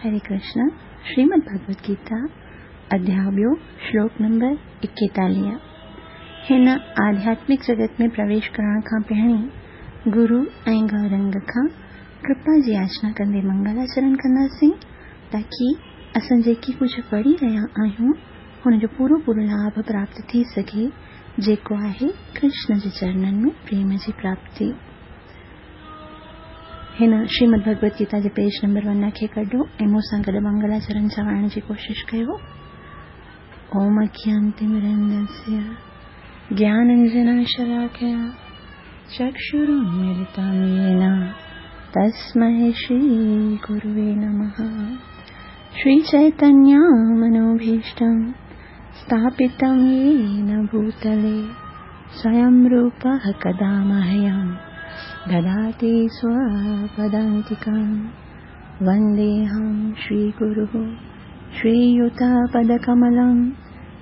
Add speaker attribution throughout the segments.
Speaker 1: हरे कृष्ण। श्रीमद् भगवद गीता अध्याय ॿियो, श्लोक नंबर 41। हिन आध्यात्मिक जगत में प्रवेश करण खां पहिरीं गुरु ऐं गौरंग खां कृपा जी याचना कंदे मंगलाचरण कंदासीं, ताकी असां जेकी कुझु पढ़ी रहिया आहियूं हुनजो पूरो पूरो लाभ प्राप्त थी सघे, जेको आहे कृष्ण जे चरणनि में प्रेम जी प्राप्ति। हिन श्रीमद् भगवद गीता जे पेज नंबर 1 खे कढो ऐं मूंसां गॾु मंगलाचरण चवाइण जी कोशिशि कयो। ओम अज्ञानतिमिरन्दस्य ज्ञानाञ्जनशलाकया चक्षुरुन्मीलितं येन तस्मै श्रीगुरुवे नमः। श्रीचैतन्यमनोभीष्टं स्थापितं येन भूतले स्वयं रूपः कदा मह्यं ददाति स्वपदान्तिकं। वन्देऽहं श्रीगुरुः श्रीयुतपदकमलं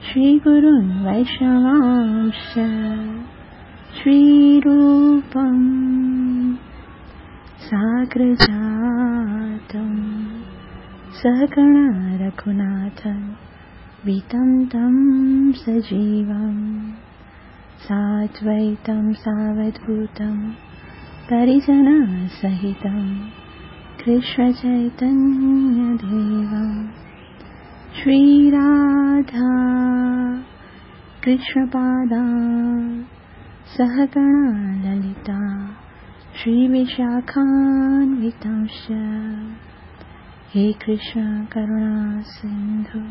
Speaker 1: श्रीगुरुन् वैष्णवांश्च। श्रीरूपं साग्रजातं सहगण रघुनाथं वितं तं सजीवं साद्वैतं सावधूतं परिजनसहितं कृष्णचैतन्यदेवं। श्रीराधा कृष्णपादा सहगणा ललिता श्रीविशाखान्वितांश्च। हे कृष्ण करुणा सिन्धु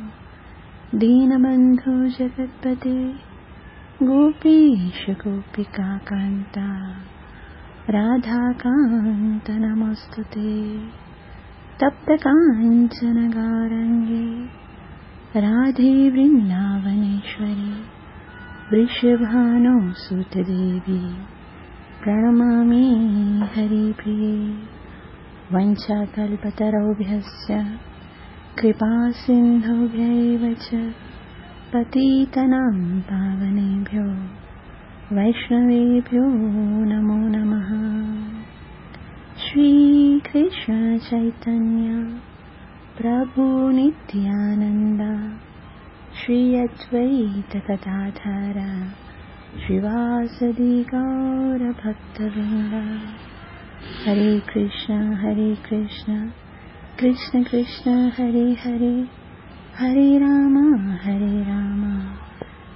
Speaker 1: दीनबन्धु जगत्पते गोपीश गोपिका कान्ता राधाकान्त नमोऽस्तुते। तप्त काञ्चन गौरङ्गे राधे वृन्दावनेश्वरी वृषभानुसुते देवी प्रणमामि हरिप्रिये। वञ्चाकल्पतरुभ्यश्च कृपासिन्धुभ्यैव च पतितानां पावनेभ्यो वैष्णवेभ्यो नमो नमः। श्रीकृष्ण चैतन्य प्रभु नित्यानन्द श्री अद्वैत गदाधर श्रीवासदि गौरभक्तवृन्द। हरे कृष्ण कृष्ण कृष्ण हरे हरे, हरे राम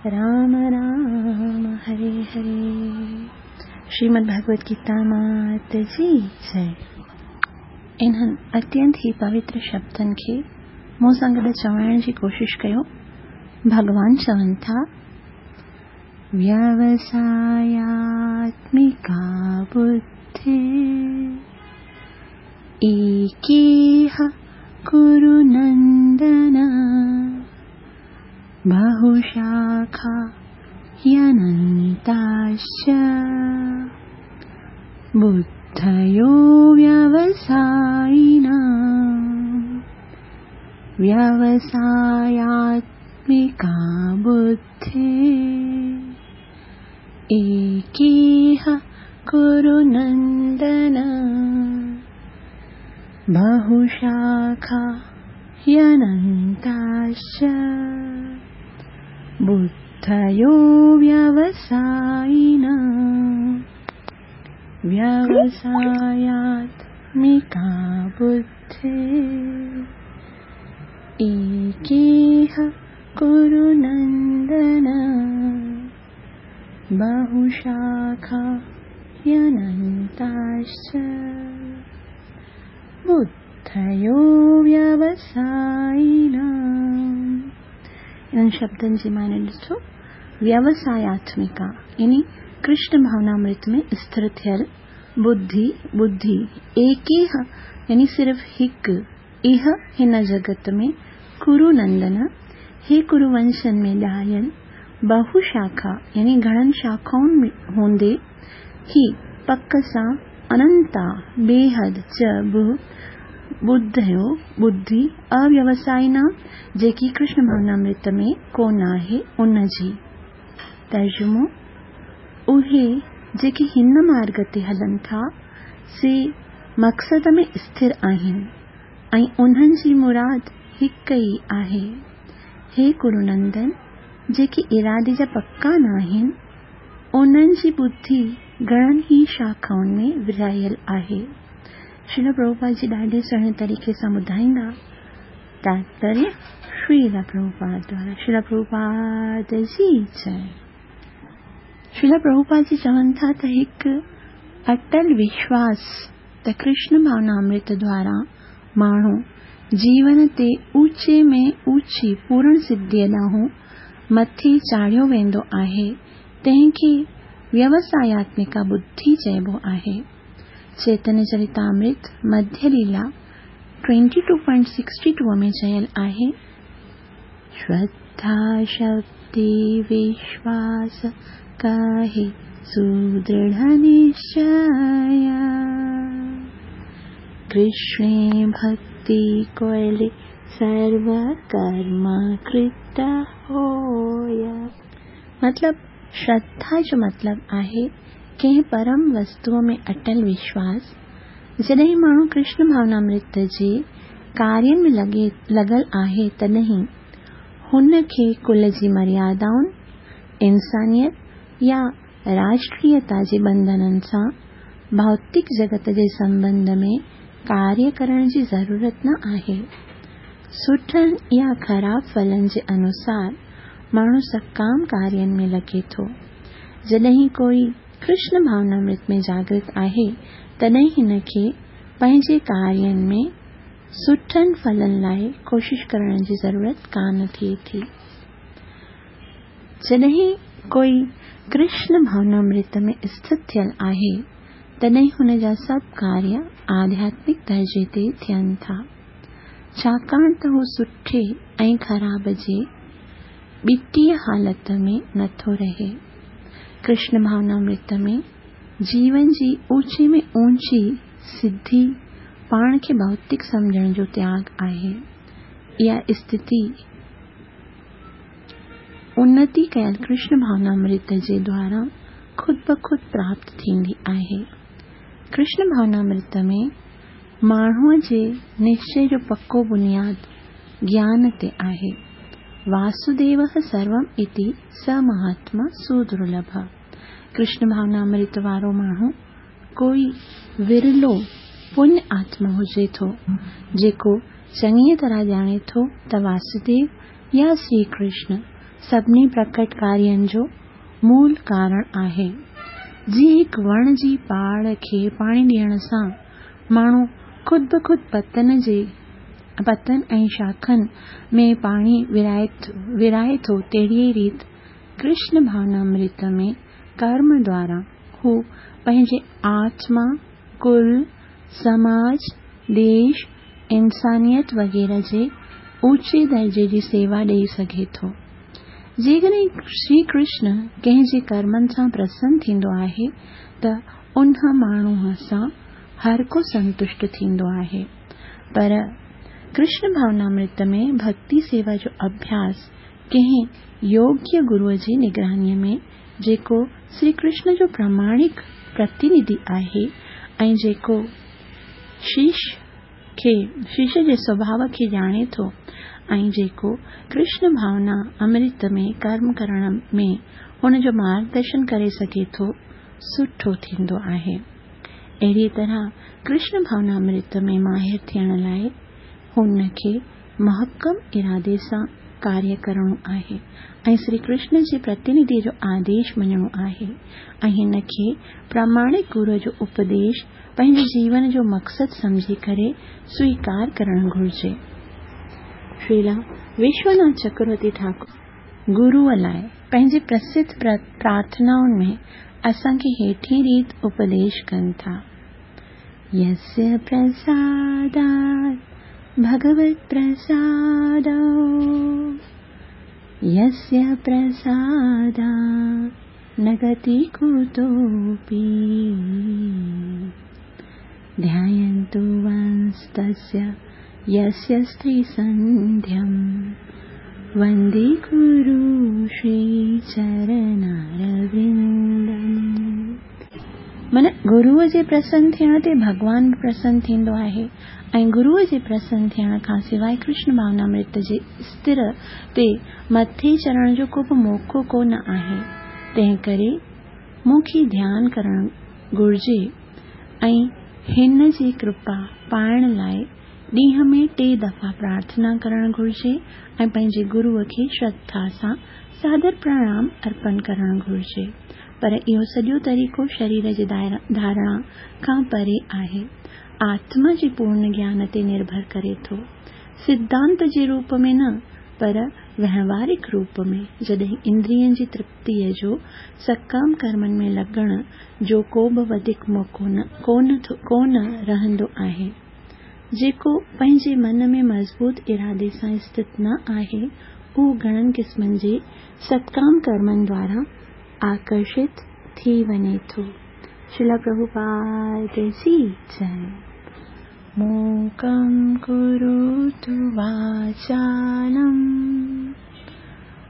Speaker 1: राम राम हरे हरे। श्रीमद् भगवद गीता मात जी जय। इन्हनि अत्यंत ही पवित्र शब्दनि खे मूं सां गॾु चवाइण जी कोशिशि कयो। भॻवान चवनि था, व्यवसायात्मिका बुद्धि एकेह कुरु नन्दन बहुशाखा ह्यनन्ताश्च बुद्धयो व्यवसायिनां व्यवसायात्मिका बुद्धिः एकेह कुरु नन्दन बहुशाखा ह्यनन्ताश्च बुद्धयो व्यवसायिनां व्यवसायात्मिका बुद्धिः एकेह कुरु नन्दन बहुशाखा ह्यनन्ताश्च बुद्धयो व्यवसायिनां। इन्हनि शब्दनि जी माने ॾिसो, व्यवसायात्मिका यानी कृष्ण भावनामृत में स्थिर थियल बुद्धि, बुद्धि एकेह यानी सिर्फ़ हिकु, इह हिन जगत में कुरु नंदन हे कुरुवंशनि में ॼायल बहुशाखा यानी घणनि शाखाउनि में हूंदे ही पक सां अनंता बेहद च बि बुद्धयो बुद्धि अव्यवसायिनां जेकी कृष्ण भावनामृत में कोन आहे उन जी। तर्जुमो, उहे जेके हिन मार्ग ते हलनि था से मक़सद में स्थिर आहिनि ۽ انهن جي مراد هڪ ئي آهي. هي ڪرونندن، جيڪي ارادي جا پڪا ناهن، انهن جي ٻڌي گهڻن ئي شاخائن ۾ ورهايل آهي. شريلا پرڀوپاد جي ڏاڍي سهڻي طريقي سان ٻڌائيندا. تاتپريه شريلا پرڀوپاد دوارا شريلا پرڀوپاد جي جئي. شريلا پرڀوپاد جي چون ٿا ته هڪ اٽل وشواس ته ڪرشن ڀاونا امرت دوارا ماڻهو جيون تي اوچي ۾ اوچي پورڻ سڌيء ڏانهن مٿي چاڙهيو ويندو آهي، تنهن کي ويوساياتمڪا ٻڌي چئبو آهي. چيتنيه چريتامرت مڌيه ليلا 22.62 ۾ چيل آهي. شرڌا شبدي وشواس ڪهي سدرڙهه نشچي. ڪرشڻي ڀڳتي ڪوئلي سرو ڪرم ڪرت هوء. مطلب شرڌا جو مطلب آهي ڪنهن پرم وستوء ۾ اٽل وشواس. جڏهن ماڻهو ڪرشن ڀاونامرت جي ڪارين ۾ لڳل آهي تڏهن هن کي ڪل جي مريادائن، انسانيت يا راشٽريتا جي ٻنڌنن سان ڀوتڪ جڳت جي سنٻنڌ ۾ ڪاريه ڪرڻ جي ضرورت نه آهي. سٺن يا خراب ڦلن جي انوسار ماڻهو سڪام ڪارين ۾ لڳي ٿو. جڏهن ڪوئي ڪرشن ڀاونامرت ۾ جاڳرت آهي تڏهن هن کي پنهنجي ڪارين ۾ سٺن ڦلن لاء ڪوشش ڪرڻ جي ضرورت ڪانه ٿئي ٿي. جڏهن ڪوئي ڪرشن ڀاونامرت ۾ اسٿت ٿيل آهي تڏهن هن جا سڀ ڪاريه آڌياتمڪ درجي تي ٿين ٿا. ڇاڪاڻ ته هو سٺي ۽ خراب جي ٻٽيء حالت ۾ نٿو رهي. ڪرشن ڀاونامرت ۾ جيون جي اوچي ۾ اوچي سڌي پاڻ کي ڀوتڪ سمجهڻ جو تياڳ آهي. اها اسٿتي انتي ڪيل ڪرشن ڀاونامرت جي دوارا خود بخود پراپت ٿيندي آهي. ڪرشن ڀاونامرت ۾ ماڻهوء جي نشچي جو پڪو بنياد گيان تي آهي. واسوديوه سروم اتي س مهاتما سودرلڀ. ڪرشن ڀاونامرت وارو ماڻهو ڪوئي ورلو پڃ آتما هجي ٿو، جيڪو چڱيء طرح ڄاڻي ٿو ته واسوديو يا شري ڪرشن سڀني پرڪٽ ڪارين جو مول ڪارڻ آهي. جيئن هڪ وڻ جي پاڙ کي پاڻي ڏيڻ سان ماڻهو خود بخود پتن جي پتن ۽ شاخن ۾ پاڻي ورهائي ٿو تهڙيء ريت ڪرشن ڀاونامرت ۾ ڪرم دوارا هو پنهنجي آتما، ڪل، سماج، ديش، انسانيت وغيره جي اوچي درجي جي سيوا ڏيئي سگهي ٿو. جيڪڏهن شري ڪرشن ڪنهن جي ڪرمن سان پرسن ٿيندو آهي ته ان ماڻهوء سان هر ڪو سنتشٽ ٿيندو آهي. پر ڪرشن ڀاونامرت ۾ ڀڳتي سيوا جو اڀياس ڪنهن يوگيه گروء جي نگرانيء ۾ جيڪو شري ڪرشن جو پراماڻڪ پرتينڌي آهي ۽ جيڪو شيش کي شيش جي سوڀاء کي ڄاڻي ٿو ۽ جيڪو ڪرشن ڀاونا امرت ۾ ڪرم ڪرڻ ۾ هن جو مارگدرشن ڪري سگهي ٿو، سٺو ٿيندو آهي. اهڙيء طرح ڪرشن ڀاونا امرت ۾ ماهر ٿيڻ لاء هن کي محڪم ارادي سان ڪاريه ڪرڻو آهي ۽ شري ڪرشن جي پرتينڌيء جو آديش مڃڻو آهي ۽ هن کي پراماڻڪ گروء جو اپديش پنهنجي جيون جو مقصد سمجهي ڪري سويڪار ڪرڻ گهرجي. شريلا وشوناٿ چڪروتي ٺاڪر گروء لاء پنهنجي پرسڌ پرارٿنائن ۾ اسان کي هيٺين ريت اپديش ڪن ٿا. يسيا پرسادات ڀڳوت پرسادو يسيا پرسادات نه گتي ڪتوپي ڌياينتو ونستسيا يسيا ستري سنڌيم وندي گرو شري چرنارورندم. معنيٰ گروء جي پرسن ٿيڻ تي ڀڳوان به پرسن ٿيندو آهي ۽ گروء جي پرسن ٿيڻ کان سواء ڪرشن ڀاونامرت جي استر تي مٿي چڙهڻ جو ڪو به موقعو ڪو نه آهي. تنهنڪري مون کي ڌيان ڪرڻ گهرجي ۽ هن جي ڪرپا پائڻ لاء ڏينهن ۾ ٽي دفعا پرارٿنا ڪرڻ گهرجي ۽ پنهنجي گروء کي شرڌا سان سادر پرڻام ارپڻ ڪرڻ گهرجي. پر اهو سڄو طريقو شرير جي ڌارڻا کان پري آهي. آتما جي پورن گيان تي نرڀر ڪري ٿو. سڌانت جي روپ ۾ نه، پر وهنوارڪ روپ ۾، جڏهن اندرين جي ترپتيء جو سڪام ڪرمن ۾ لڳڻ جو ڪوبه وڌيڪ موقعو ڪونه رهندو آهي. جيڪو پنهنجي من ۾ مضبوط ارادي سان اسٿت نه آهي، اهو گهڻن قسمن جي ستڪام ڪرمن دوارا آڪرشت ٿي وڃي ٿو. شريلا پرڀوپاد جي جئي. موڪم ڪروتو واچالم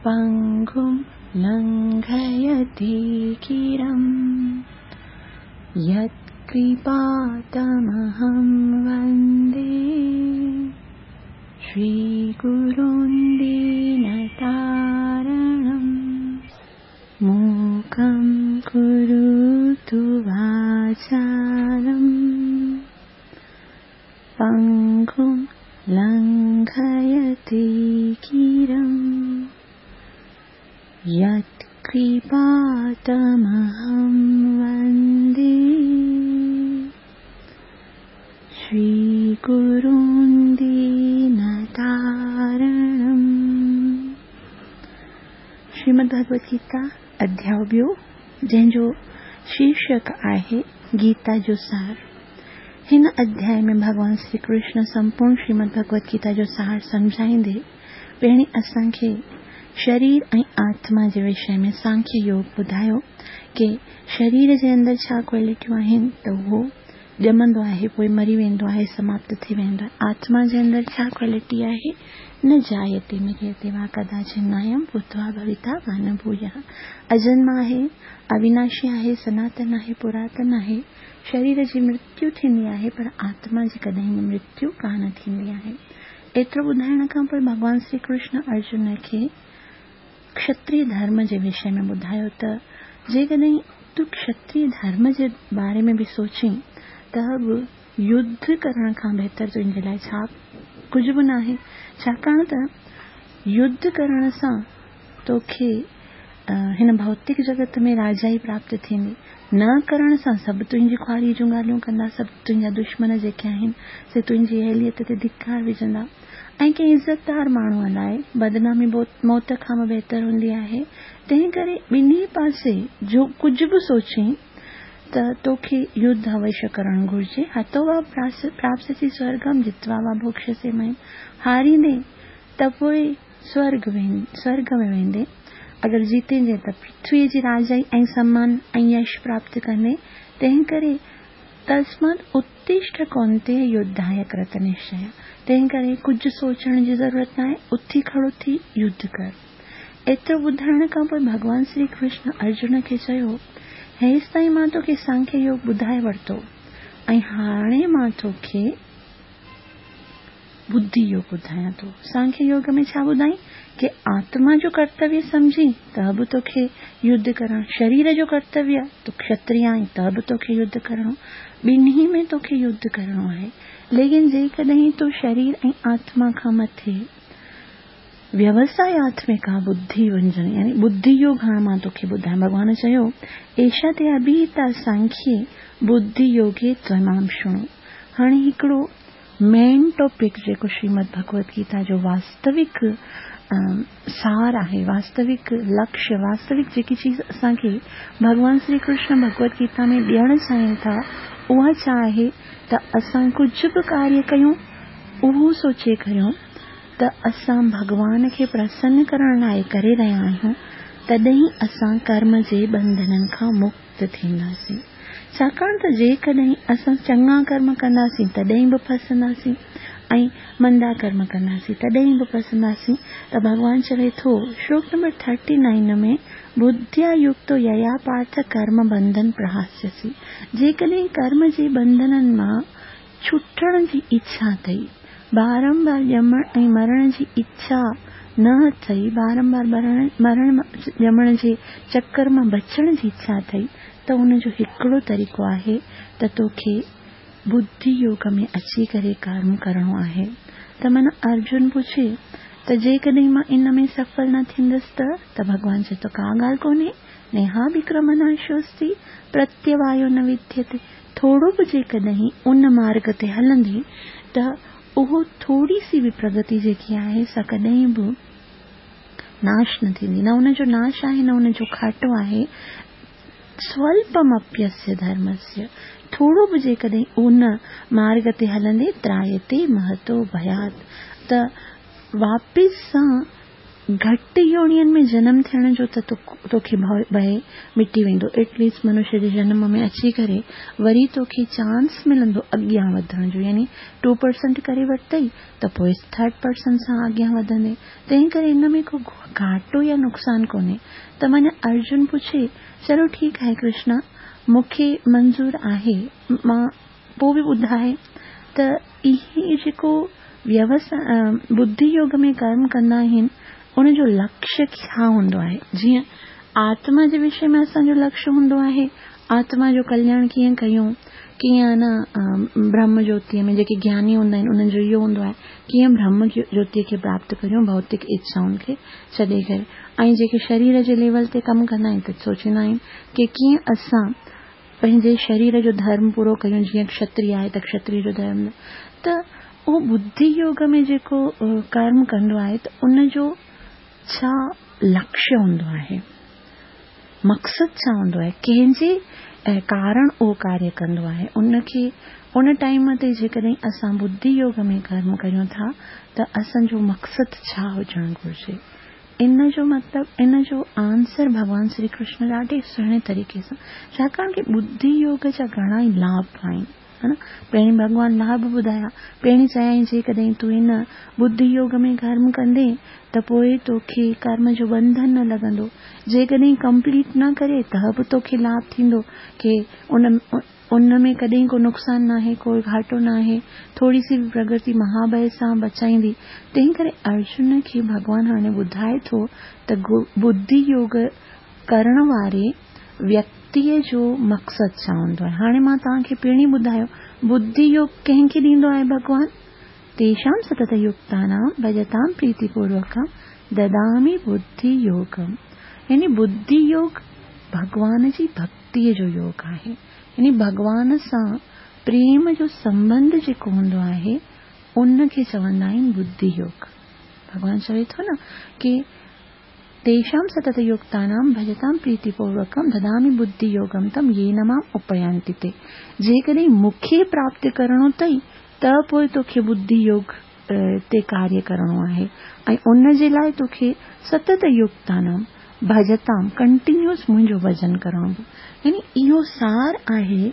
Speaker 1: پنگم لنگهيتي گرم يت ڪرپا تمهم وندي شري گرون دينتارڻم. موڪم ڪروتو واچالم پنگم لنگهيتي گرم يت ڪرپا تمهم وندي شري گرون دينتارڻم. شريمد ڀڳوت گيتا اڌياء ٻيو جنهن جو شيرشڪ آهي گيتا جو سار. هن اڌياء ۾ ڀڳوان شري ڪرشن سمپورڻ شريمد ڀڳوت گيتا جو سار سمجهائيندي پهرين اسان کي شرير ۽ آتما جي وشي ۾ سانکيه يوگ ٻڌايو ڪي شرير جي اندر ڇا ڪوالٽيون آهن ته اهو ڄمندو آهي پوء مري ويندو آهي سماپت ٿي ويندو آهي. آتما جي اندر ڇا ڪوالٽي آهي؟ نه جايتي مريتي وا ڪداچن نايم ڀوتوا ڀويتا وا نه ڀويا. اجنم آهي، اويناشي آهي، سناتن آهي، پراتن آهي. شرير جي مرتيو ٿيندي آهي پر آتما جي ڪڏهن به مرتيو ڪانه ٿيندي آهي. ايترو ٻڌائڻ کان پوء ڀڳوان شري ڪرشن ارجن کي کشتريه ڌرم جي وشي ۾ ٻڌايو ته جيڪڏهن تون کشتريه ڌرم جي باري ۾ به سوچين ته به يڌ ڪرڻ کان بهتر تنهنجي لاء ڇا ڪجهه به ناهي، ڇاڪاڻ ته يڌ ڪرڻ سان توکي هن ڀوتڪ جڳت ۾ راجائي پراپت ٿيندي، نه ڪرڻ سان سڀ تنهنجي خواريء جون ڳالهيون ڪندا، سڀ تنهنجا دشمن جيڪي آهن سي تنهنجي اهليت تي ڌڪار وجهندا. ۽ ڪنهن عزتدار ماڻهوء لاء بدنامي موت کان به بهتر هوندي آهي، تنهنڪري ٻنهي پاسي جو ڪجهه به سوچين ته توکي يڌ اوشيه ڪرڻ گهرجي، هتو وا پراپسسي سورگم جتوا وا ڀوڪشسي مهيم، هاريندين ته پوء سورڳ ۾ ويندين، اگر جيتيندين ته پرٿويء جي راجائي ۽ سمان ۽ يش پراپت ڪندين، تنهنڪري تسمات اتشٺ ڪونتيه يڌايه ڪرت نشچيه، تنهن ڪري ڪجهه سوچڻ جي ضرورت ناهي، اٿي کڙو ٿي يڌ ڪر. ايترو ٻڌائڻ کان پوء ڀڳوان شري ڪرشن ارجن کي چيو، هيستائين مان توکي سانکيه يوگ ٻڌائي ورتو ۽ هاڻي مان توکي ٻڌي يوگ ٻڌايان ٿو. سانکيه يوگ ۾ ڇا ٻڌائين ڪي آتما جو ڪرتويه سمجهين ته به توکي يڌ ڪرڻ، شرير جو ڪرتويه، تون کشتريه آهين ته به توکي يڌ ڪرڻو، ٻنهي ۾ توکي يڌ ڪرڻو آهي. ليڪن جيڪڏهن تون شرير ۽ آتما کان مٿي ويوساياتمڪا ٻڌي وڃجڻ يعني ٻڌي يوگ هاڻ مان توکي ٻڌايان. ڀڳوان چيو، ايشا تي اڀيهتا سانکيه ٻڌي يوگي تمام شڻو. هاڻي هڪڙو مين ٽاپڪ جيڪو شريمد ڀڳوت گيتا جو واستوڪ سار آهي، واستوڪ لڪشيه، واستوڪ جيڪي چيز اسان کي ڀڳوان شري ڪرشن ڀڳوت گيتا ۾ ڏيڻ چاهين ٿا اها ڇا آهي ته اسان ڪجهه به ڪاريه ڪيون اهو سوچي ڪريون ته اسان ڀڳوان کي پرسن ڪرڻ لاء ڪري رهيا آهيون تڏهن اسان ڪرم جي ٻنڌنن کان مڪت ٿينداسين. ڇاڪاڻ ته جيڪڏهن اسان چڱا ڪرم ڪنداسين تڏهن به ڦسنداسين ۽ مندا ڪرم ڪنداسين تڏهن به ڦسنداسين ته ڀڳوان چوي ٿو شلوڪ نمبر ٿرٽي نائن ۾ ٻڌيا يڪتو ييا پارٿ ڪرم بنڌن پرهاسيسي. جيڪڏهن ڪرم جي ٻنڌنن مان ڇٽڻ جي اڇا اٿئي، بارنبار ڄمڻ ۽ مرڻ جي اڇا نه اٿئي، بارنبار مرڻ ڄمڻ جي چڪر مان بچڻ جي اڇا اٿئي ته ان جو هڪڙو طريقو آهي ته توکي ٻڌي يوگ ۾ اچي ڪري ڪرم ڪرڻو آهي. ته معنيٰ ارجن پڇي ته جيڪڏهن مان ان ۾ سڦل نه ٿيندس ته؟ ته ڀڳوان چئي ٿو ڪا ڳالهه ڪونهي، نيهاڀڪرمناشوستي پرتيوايو نه وديتي، ٿورو به جيڪڏهن ان مارڳ تي هلندين ته اهو ٿوري سي به پرگتي جيڪي آهي سا ڪڏهن به ناش نه ٿيندي، نه ان جو ناش آهي نه ان جو کاٽو آهي. سولپمپيسيه ڌرمسيه، ٿورو به جيڪڏهن ان مارڳ تي هلندي ترايتي مهتو ڀيات ته واپس سان گهٽ يونين ۾ جنم ٿيڻ جو ته توکي ڀئي مٽي ويندو. ايٽ ليسٽ منشيه جي جنم ۾ اچي ڪري وري توکي چانس ملندو اڳيان وڌڻ جو يعني ٽو پرسنٽ ڪري ورتئي ته پوء ٿرڊ پرسنٽ سان اڳيان وڌندين. تنهن ڪري ان ۾ ڪو گهاٽو يا نقصان ڪونهي. ته معنيٰ ارجن پڇي چلو ٺيڪ آهي ڪرشنا مون کي منظور آهي مان پوء به ٻڌائي ته اهي جيڪو ٻڌي يوگ ۾ ڪرم ڪندا آهن ان جو لڪشيه ڇا هوندو آهي؟ جيئن آتما جي وشي ۾ اسان جو لڪشيه هوندو آهي آتما جو ڪلياڻ ڪيئن ڪيون، ڪيئن نه برهم جوتيء ۾ جيڪي گياني هوندا آهن انهن جو اهو هوندو آهي ڪيئن برهم جوتيء کي پراپت ڪريون ڀوتڪ اڇائن کي ڇڏي ڪري ۽ جيڪي شرير جي ليول تي ڪم ڪندا آهن ته سوچيندا آهن ڪي ڪيئن اسان پنهنجي شرير جو ڌرم پورو ڪيون جيئن کشتري آهي ته کشتري جو ڌرم ته اهو ٻڌي يوگ ۾ جيڪو ڪرم ڪندو آهي ته ان جو ڇا لڪشيه هوندو آهي مقصد ڇا هوندو آهي ڪنهن جي ڪارڻ اهو ڪاريه ڪندو آهي ان کي ان ٽائيم تي جيڪڏهن اسان ٻڌي يوگ ۾ ڪرم ڪريون ٿا ته اسان جو مقصد ڇا هجڻ گهرجي ان جو مطلب ان جو آنسر ڀڳوان شري ڪرشن ڏاڍي سهڻي طريقي سان ڇاڪاڻ ڪي ٻڌي يوگ جا گهڻا ئي لاڀ آهن ها نه پهرين ڀڳوان لاڀ ٻڌايا پهرين چيائين جيڪڏهن تون ان ٻڌي يوگ ۾ ڪرم ڪندين ته پوء توکي ڪرم جو ٻنڌن نه لڳندو جيڪڏهن ڪمپليٽ نه ڪري ته به توکي لاڀ ٿيندو ڪي ان ان ۾ ڪڏهن ڪو نقصان ناهي، ڪو گهاٽو ناهي، ٿوري سي به پرگتي مهاڀئه سان بچائيندي. تنهن ڪري ارجن کي ڀڳوان هاڻي ٻڌائي ٿو ته ٻڌي يوگ ڪرڻ واري ويڪتيء جو مقصد ڇا هوندو آهي. هاڻي مان توهان کي پهرين ٻڌايو، ٻڌي يوگ ڪنهن کي ڏيندو آهي ڀڳوان؟ تيشام ستت يڪتانام ڀجتام پريتي پوروڪم ددامي ٻڌي يوگم يعني ٻڌي يوگ ڀڳوان جي ڀڳتي. ڀڳتيء جو يوگ آهي. يعني ڀڳوان سان پريم جو سنٻنڌ جيڪو هوندو آهي، ان کي چوندا آهن ٻڌي يوگ. ڀڳوان چوي ٿو نه ڪي تيشام ستت يڪتانام ڀجتام پريتي پوروڪم ددامي ٻڌي يوگم تم يين مام اپيانتي تي. جيڪڏهن مون کي پراپت ڪرڻو اٿئي ته پوء توکي ٻڌي يوگ تي ڪاريه ڪرڻو آهي ۽ ان جي لاء توکي ستت يڪتانام ڀجتام ڪنٽينيوس منهنجو ڀڄن ڪرڻو پوندو. يعني اهو سار آهي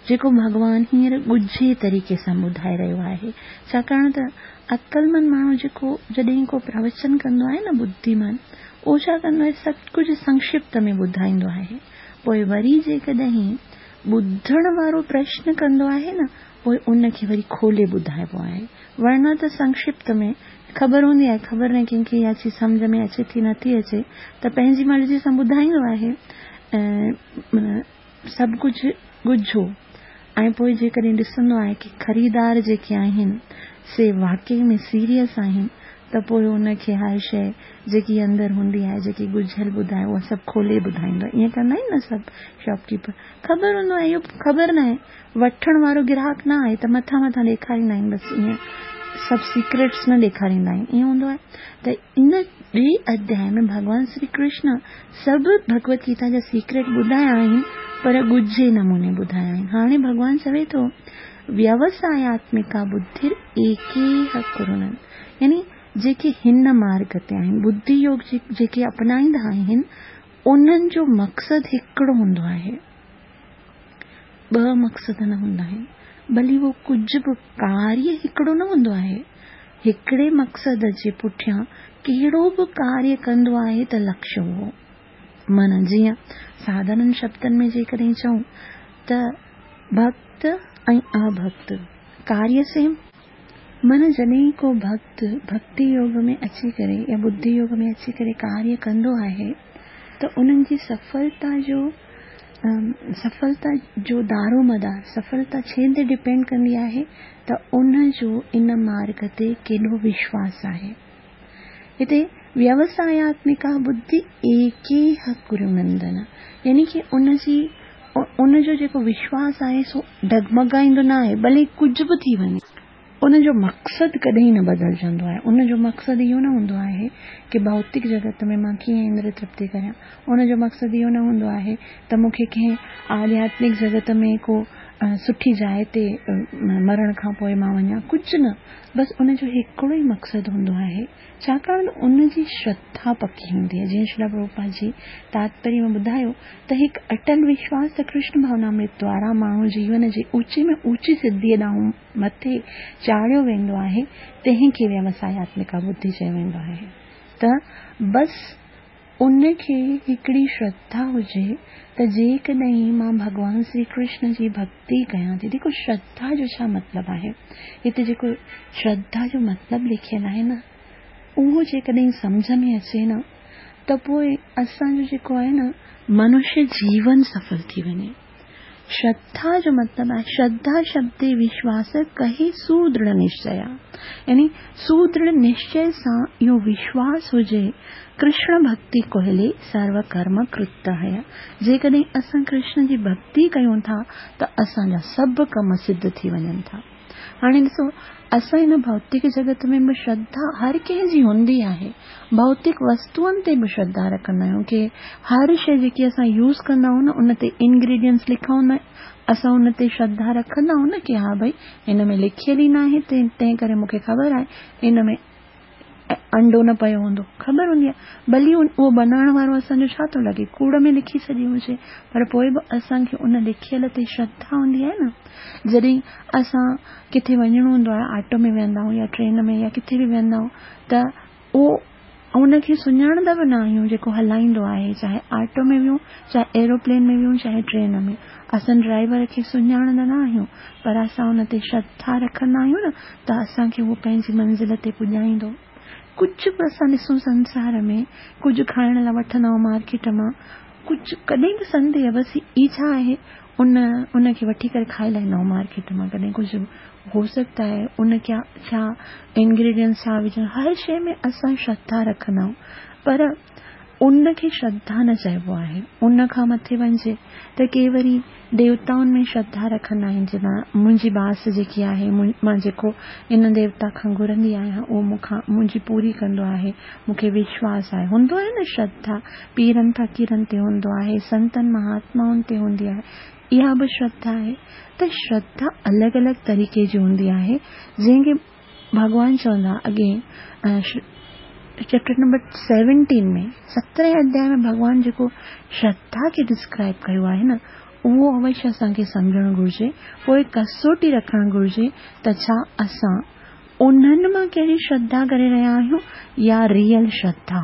Speaker 1: جيڪو ڀڳوان هينئر ڳجهي طريقي سان ٻڌائي رهيو آهي. ڇاڪاڻ ته عقلمند ماڻهو جيڪو جڏهن ڪو پروچن ڪندو آهي نه ٻڌيمان اهو ڇا ڪندو آهي سڀ ڪجهه سنڪشپت ۾ ٻڌائيندو آهي. پوء وري جيڪڏهن ٻڌڻ وارو پرشن ڪندو آهي نه پوء ان کي وري کولي ٻڌائبو آهي. ورنه ته سنڪشپت ۾ خبر هوندي آهي، خبر ناهي ڪنهن کي اها چيز سمجهه ۾ اچي ٿي نٿي اچي ته پنهنجي مرضي سان ٻڌائيندو آهي ۽ سڀ ڪجهه ڳجهو ۽ پوء جيڪڏهن ڏسندو آهي ڪي خريدار جيڪي آهن سي واقعي ۾ سيريس آهن ته پوء ان کي هر شيء جيڪي اندر هوندي آهي جيڪي ڳجهل ٻڌائي اها سڀ کولي ٻڌائيندو آهي ائين ڪندا آهن نه سڀ شاپ ڪيپر خبر هوندو آهي اهو خبر ناهي وٺڻ وارو گراهڪ نه آهي ته مٿان مٿان ڏيکاريندا آهن بس ائين سڀ سيڪريٽس نه ڏيکاريندا آهن ائين هوندو آهي ته ان ٻئي اڌياء ۾ ڀڳوان شري ڪرشن سڀ ڀڳوت گيتا جا سيڪريٽ ٻڌايا آهن پر ڳجهي نموني ٻڌايا آهن هاڻي ڀڳوان چوي ٿو ويوساياتمڪا ٻڌر ايڪيهه ڪرونن يعني جيڪي هن مارگ تي آهن ٻڌي يوگ جيڪي اپنائيندا آهن انهن جو مقصد هڪڙو هوندو آهي ٻه مقصد نه هوندا آهن، ڀلي اهو ڪجهه به ڪاريه هڪڙو نه هوندو آهي. هڪڙي مقصد جي پٺيان ڪهڙو به ڪاريه ڪندو آهي ته لڪشيه اهو، معنيٰ جيئن ساڌارڻ شبدن ۾ جيڪڏهن چئون ته ڀڳت ۽ اڀڳت ڪاريه سيم. معنيٰ جڏهن ڪو ڀڳت ڀڳتي يوگ ۾ اچي ڪري يا ٻڌي يوگ ۾ اچي ڪري ڪاريه ڪندو آهي ته انهن جي سڦلتا جو سڦلتا جو دارومدار سڦلتا ڇنهن تي ڊپينڊ ڪندي آهي ته ان جو ان مارگ تي ڪيڏو وشواس آهي. هتي ويوساياتمڪا ٻڌي ايڪيهه ڪرونندن يعني ڪي ان جي ان جو جيڪو وشواس آهي سو ڊگمگائيندو نه آهي ڀلي ڪجهه به ٿي وڃي. ان جو مقصد ڪڏهن نه بدلجندو آهي. ان جو مقصد اهو نه هوندو آهي ڪي ڀوتڪ جڳت ۾ مان ڪيئن اندر ترپتي ڪريان. ان جو مقصد اهو نه هوندو آهي ته مون کي ڪنهن آڌياتمڪ جڳت ۾ ڪو سٺي جاء تي مرڻ کان پوء مان وڃان. ڪجهه نه، بس ان جو هڪڙو ئي مقصد هوندو آهي. ڇاڪاڻ ته ان جي شرڌا پڪي هوندي آهي. جيئن شريلا پرڀوپاد جي تاتپريه ۾ ٻڌايو ته هڪ اٽل وشواس ته ڪرشن ڀاونامرت دوارا ماڻهو جيون جي اوچي ۾ اوچي سڌيء ڏانهن مٿي چاڙهيو ويندو آهي، تنهن کي ويوساياتمڪا ٻڌي چيو ويندو آهي ته بس ان کي هڪڙي شرڌا هجي ته جيڪڏهن مان ڀڳوان شري ڪرشن جي ڀڳتي ڪيان ٿي، ديکو شرڌا جو ڇا مطلب آهي؟ هتي جيڪو شرڌا جو مطلب لکيل آهي نه، اهو جيڪڏهن سمجهه ۾ اچي نه ته پوء اسان جو جيڪو آهي نه منشيه جيون سڦل ٿي وڃي. شرڌا جو مطلب آهي شرڌا شبدي وشواس ڪهي سودرڙ نشچيا يعني سودرڙ نشچي سان اهو وشواس هجي ڪرشڻ ڀڳتي ڪوهلي سرو ڪرم ڪرت هيا جيڪڏهن اسان ڪرشن جي ڀڳتي ڪيون ٿا ته اسان جا سڀ ڪم سڌ ٿي وڃن ٿا. هاڻي ڏسو اسان هن ڀوتڪ جڳت ۾ به شرڌا هر ڪنهن جي هوندي آهي. ڀوتڪ وستوئن تي به شرڌا رکندا آهيون ڪي هر شيء جيڪي اسان يوز ڪندا آهيون نه ان تي انگريڊينٽس لکا هوندا آهن اسان ان تي شرڌا رکندا آهيون نه ڪي ها ڀئي هن ۾ لکيل ئي ناهي تنهن ڪري مون کي خبر آهي هن ۾ انڊو نه پيو هوندو. خبر هوندي آهي. ڀلي اهو بنائڻ وارو اسان جو ڇا ٿو لڳي، ڪوڙ ۾ لکي ڇڏي هجي، پر پوء به اسان کي ان لکيل تي شرڌا هوندي آهي نه. جڏهن اسان ڪٿي وڃڻو هوندو آهي، آٽو ۾ ويهندا آهيون يا ٽرين ۾ يا ڪٿي به ويهندا آهيون ته اهو ان کي سڃاڻندا به نه آهيون جيڪو هلائيندو آهي، چاهي آٽو ۾ ويهون، چاهي ايروپلين ۾ ويهون، چاهي ٽرين ۾. اسان ڊرائيور کي سڃاڻندا نه آهيون، پر اسان ان تي شرڌا رکندا آهيون نه ته اسان کي اهو پنهنجي منزل تي پڄائيندو. ڪجهه به اسان ڏسون سنسار ۾ ڪجهه کائڻ لاء وٺندا آهيون مارڪيٽ مان ڪجهه ڪڏهن به سنديهه بس هي ڇا آهي ان ان کي وٺي ڪري کائي لاهيندا آهيون مارڪيٽ مان ڪڏهن ڪجهه هو سگهتا هي ان ڪيا ڇا انگريڊينٽس ڇا وجهن هر شيء ۾ اسان شرڌا رکندا آهيون پر ان کي شرڌا نه چئبو آهي. ان کان مٿي وڃجي ته ڪي وري ديوتائن ۾ شرڌا رکندا آهن جي نه منهنجي باس جيڪي آهي مان جيڪو ان ديوتا کان گهرندي آهيان اهو مون کان منهنجي پوري ڪندو آهي مون کي وشواس آهي هوندو آهي نه شرڌا پيرن فقيرن تي هوندو آهي سنتن مهاتمائن تي هوندي آهي اها به شرڌا آهي ته شرڌا الڳ الڳ طريقي جي هوندي آهي جنهن کي ڀڳوان چوندا اڳئين چيپٽر نمبر سيونٽين ۾ سترهين اڌياء ۾ ڀڳوان جيڪو شرڌا کي ڊسڪرائب ڪيو آهي نه اهو اوشيه اسان کي سمجهڻ گهرجي پوء ڪسوٽي رکڻ گهرجي ته ڇا اسان انهن مان ڪهڙي شرڌا ڪري رهيا آهيون يا ريئل شرڌا.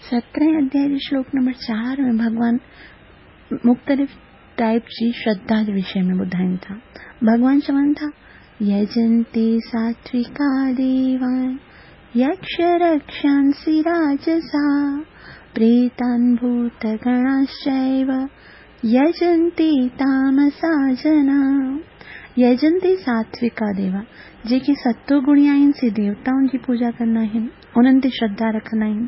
Speaker 1: سترهين اڌياء جي شلوڪ نمبر 4 ۾ ڀڳوان مختلف ٽائيپ جي شرڌا جي وشي ۾ ٻڌائين ٿا. ڀڳوان چون ٿا، يجنتي ساتويڪا ديوان، يڪش رڪشانسي راجسا، پريتان ڀوت گڻاشچيو، يجنتي تامسا جنا. يجنتي ساتويڪا ديوا، جيڪي ستو گڻي آهن سي ديوتائن جي پوڄا ڪندا آهن. انهن تي شرڌا رکندا آهن.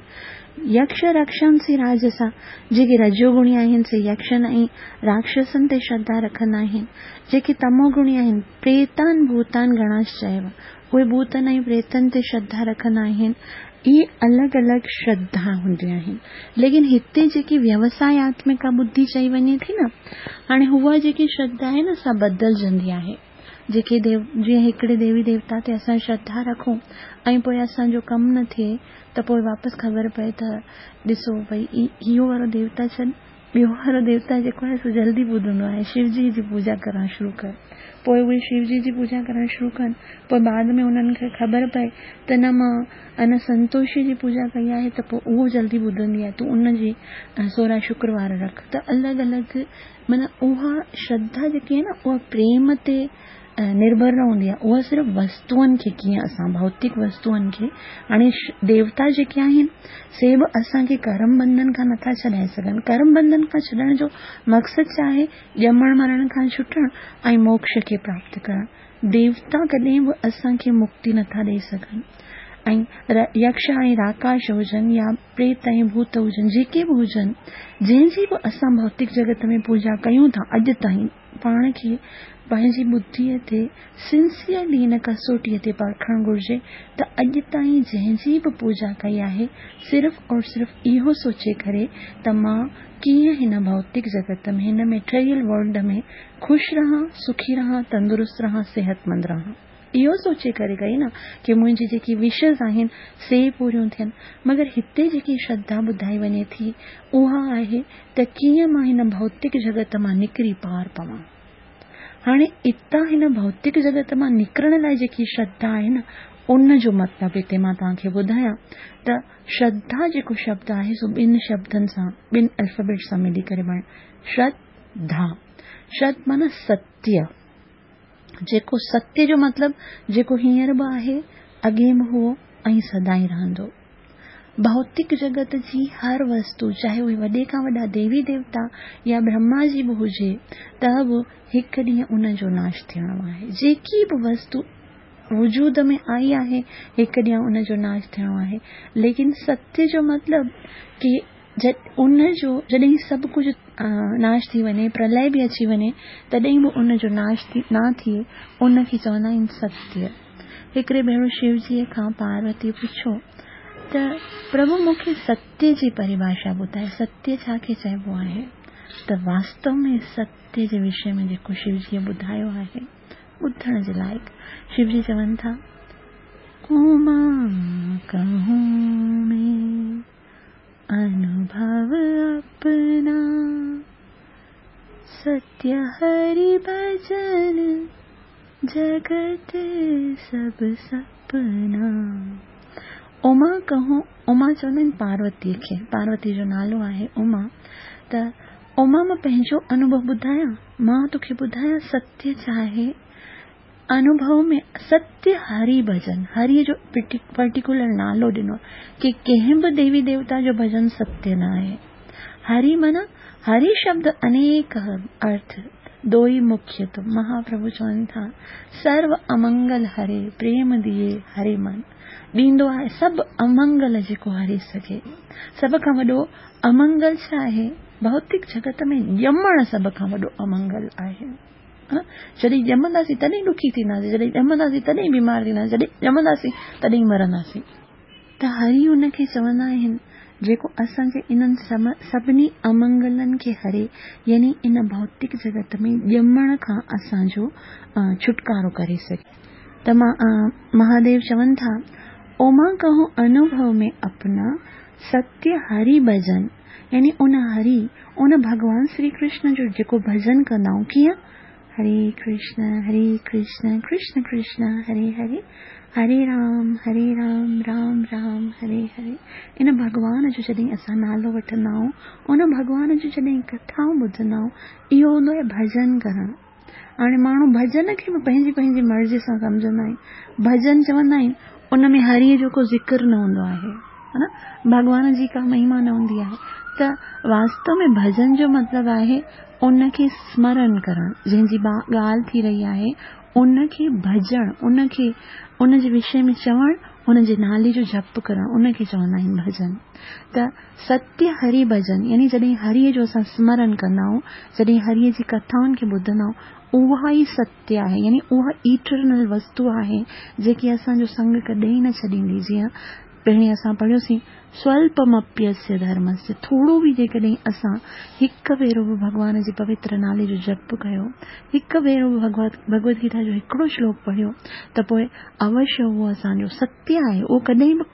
Speaker 1: يڪش رڪشانسي راجسا، جيڪي رجو گڻي آهن سي يڪشن ۽ راڪشسن تي شرڌا رکندا آهن. جيڪي تمو گڻي آهن، پريتان ڀوتان گڻاشچيو، اهي ڀوتن ۽ پريتن تي شرڌا رکندا آهن. اهي الڳ الڳ شرڌا هونديون آهن. ليڪن هتي جيڪي ويوساياتمڪا ٻڌي چئي وڃي ٿي نه، هاڻي اها جيڪي شرڌا آهي نه سا بدلجندي آهي. جيڪي ديو جيئن هڪڙي ديوي ديوتا تي اسان شرڌا رکون ۽ پوء اسان جو ڪم نه ٿئي ته پوء واپس خبر پئي ته ڏسو ڀئي اهو وارو ديوتا ڇڏ ٻيو وارو ديوتا جيڪو آهي سو جلدي ٻڌندو آهي، شو جي جي پوڄا ڪرڻ شروع ڪر. پوء اهي شو جي جي پوڄا ڪرڻ شروع ڪن، پوء بعد ۾ انهن کي خبر پئي ته نه مان ان سنتوشي جي پوڄا ڪئي آهي ته پوء اهو جلدي ٻڌندي آهي، تون ان جي سورهن شڪروار رک ته الڳ الڳ معنيٰ اها شرڌا جيڪي آهي نه اها پريم تي نرڀر نه هوندي آهي، اها صرف وستوئن کي ڪيئن اسان ڀوتڪ وستوئن کي هاڻي ديوتا جيڪي آهن سي به اسان کي ڪرم بنڌن کان نٿا ڇڏائي سگهن. ڪرم بنڌن کان ڇڏڻ جو مقصد ڇا آهي؟ ڄمڻ مرڻ کان ڇٽڻ ۽ موڪش کي پراپت ڪرڻ. ديوتا ڪڏهن به اسان کي مڪتي نٿا ڏئي سگهن ۽ يڪش ۽ راڪاش هجن يا پريت ۽ ڀوت هجن جيڪي به هجن جنهن جي به اسان ڀوتڪ جڳت ۾ پوڄا ڪيون ٿا اڄ تائين پاڻ کي پنهنجي ٻڌيء تي سنسيئرلي هن ڪسوٽيء تي پرکڻ گهرجي ته اڄ تائين جنهن جي به پوڄا ڪئي آهي صرف اور صرف اهو سوچي ڪري ته مان ڪيئن هن ڀوتڪ جڳت ۾ هن ميٽريل ورلڊ ۾ خوش رهان، سکي رهان، تندرست رهان، صحتمند رهان. اهو سوچي ڪري ڪئي نه ڪي منهنجي جيڪي وشز آهن سي پوريون ٿين. مگر هتي جيڪي شرڌا ٻڌائي وڃي ٿي اها آهي ته ڪيئن مان هن ڀوتڪ جڳت مان نڪري پار پوان. هاڻي اتان هن ڀوتڪ جڳت مان نڪرڻ لاء جيڪي شرڌا آهي نه ان جو مطلب هتي مان توهان کي ٻڌايان ته شرڌا جيڪو شبد آهي سو ٻن شبدن سان ٻن الفابيٽ سان ملي ڪري بڻيو شرڌ ڌا. شرڌ معنيٰ ستيه. جيڪو ستيه جو مطلب جيڪو هينئر به آهي، اڳي به هئو ۽ سدائين رهندو. ڀوتڪ جڳت جي هر وستو چاهي اهي وڏي کان وڏا ديوي ديوتا يا برهما جي به هجي ته به هڪ ڏينهن ان جو ناش ٿيڻو آهي. جيڪي به وستو وجود ۾ آئي آهي هڪ ڏينهن ان جو ناش ٿيڻو آهي. ليڪن ستيه جو مطلب ڪي ان جو جڏهن سڀ ڪجهه ناش ٿي وڃي، پرلئه به اچي وڃي، تڏهن به ان جو ناش نه ٿئي، ان کي چوندا آهن ستيه. هڪڙي ڀيرو شو جيء کان پاروتيء پڇيو ته پرڀو مون کي ستيه جي پريڀاشا ٻڌاء، ستيه ڇا کي چئبو آهي؟ ته واستو ۾ ستيه جي وشي ۾ جيڪو شو جيء ٻڌايو آهي، ٻڌڻ جي لائق. شو جي چون ٿا، اما ڪهون مين انوڀو اپنا، ستيه هري ڀجن، جڳت سڀ سپنا. اما ڪهون، اما چوندا آهن پاروتيء کي، پاروتيء جو نالو آهي اما، ته اما مان پنهنجو انوڀو ٻڌايان، مان توکي ٻڌايان ستيه ڇا آهي؟ انوڀو ۾ ستيه هري ڀجن، هريء جو پرٽيڪولر نالو ڏنو آهي ڪي ڪنهن به ديوي ديوتا جو ڀجن ستيه نه آهي. هري معنيٰ هري شبد انيڪ ارٿ، دوئي مکيه تو، مهاپرڀو چون ٿا، سرو امنگل هري، پريم ديئي هري من ڏيندو آهي سڀ امنگل جيڪو هري سگهي. سڀ کان وڏو امنگل ڇا آهي؟ ڀوتڪ جڳت ۾ ڄمڻ سڀ کان وڏو امنگل آهي. جڏهن ڄمنداسين تڏهن ڏکي ٿينداسين، جڏهن ڄمنداسين تڏهن بيمار ٿينداسين، جڏهن ڄمنداسين تڏهن مرنداسين. ته هري ان کي چوندا آهن جيڪو اسان جي انهن سڀني امنگلن کي هري يعني ان ڀوتڪ جڳت ۾ ڄمڻ کان اسان جو ڇوٽڪارو ڪري سگهي. ته مهاديو چون ٿا، اوما ڪهون انوڀو ۾ اپنا ستيه هري ڀجن يعني ان هري، ان ڀڳوان شري ڪرشن جو جيڪو ڀجن ڪندا آهيون ڪيئن؟ هري ڪرشن هري ڪرشن ڪرشن ڪرشن هري هري هري رام هري رام رام رام هري هري ان ڀڳوان جو جڏهن اسان نالو وٺندا آهيون ان ڀڳوان جون جڏهن ڪٿائون ٻڌندا آهيون اهو هوندو آهي ڀجن ڪرڻ هاڻي ماڻهو ڀجن کي به پنهنجي پنهنجي مرضي سان سمجهندا آهن ڀجن چوندا آهن ان ۾ هريء جو ڪو ذڪر نه هوندو آهي ها نه ڀڳوان جي ڪا مهما نه هوندي آهي ته واستو ۾ ڀجن جو مطلب آهي ان کي سمرن ڪرڻ جنهن جي ڳالهه ٿي رهي آهي ان کي ڀجڻ ان کي ان جي وشي ۾ چوڻ ان جي نالي جو جپ ڪرڻ ان کي چوندا آهن ڀجن ته ستيه هري ڀجن يعني جڏهن هريء جو اسان سمرن ڪندا آهيون، جڏهن هريء جي ڪٿائن کي ٻڌندا آهيون، اها ئي ستيه آهي يعني اها ايٽرنل وستو آهي جيڪي اسان جو سنگ ڪڏهن نه ڇڏيندي. جيئن پهرين اسان پڙهيوسين سوالپمپيسيه ڌرمسيه ٿورو به جيڪڏهن اسان هڪ ڀيرو به ڀڳوان جي پوتر نالي جو جپ ڪيو، هڪ ڀيرو به ڀڳوت گيتا جو هڪڙو شلوڪ پڙهيو ته پوء اوشيه اهو اسان جو ستيه آهي، اهو ڪڏهن به